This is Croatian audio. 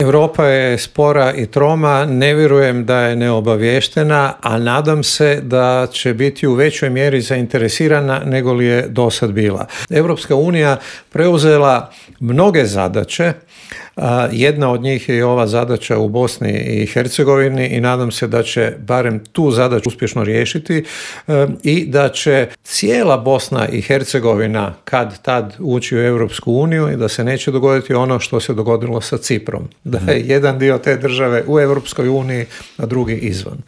Europa je spora i troma, ne vjerujem da je neobaviještena, a nadam se da će biti u većoj mjeri zainteresirana nego li je do sad bila. Europska unija preuzela mnoge zadaće, jedna od njih je i ova zadaća u Bosni i Hercegovini i nadam se da će barem tu zadaću uspješno riješiti i da će cijela Bosna i Hercegovina kad tad ući u Europsku uniju i da se neće dogoditi ono što se dogodilo sa Ciprom. Da je jedan dio te države u Europskoj uniji, a drugi izvan.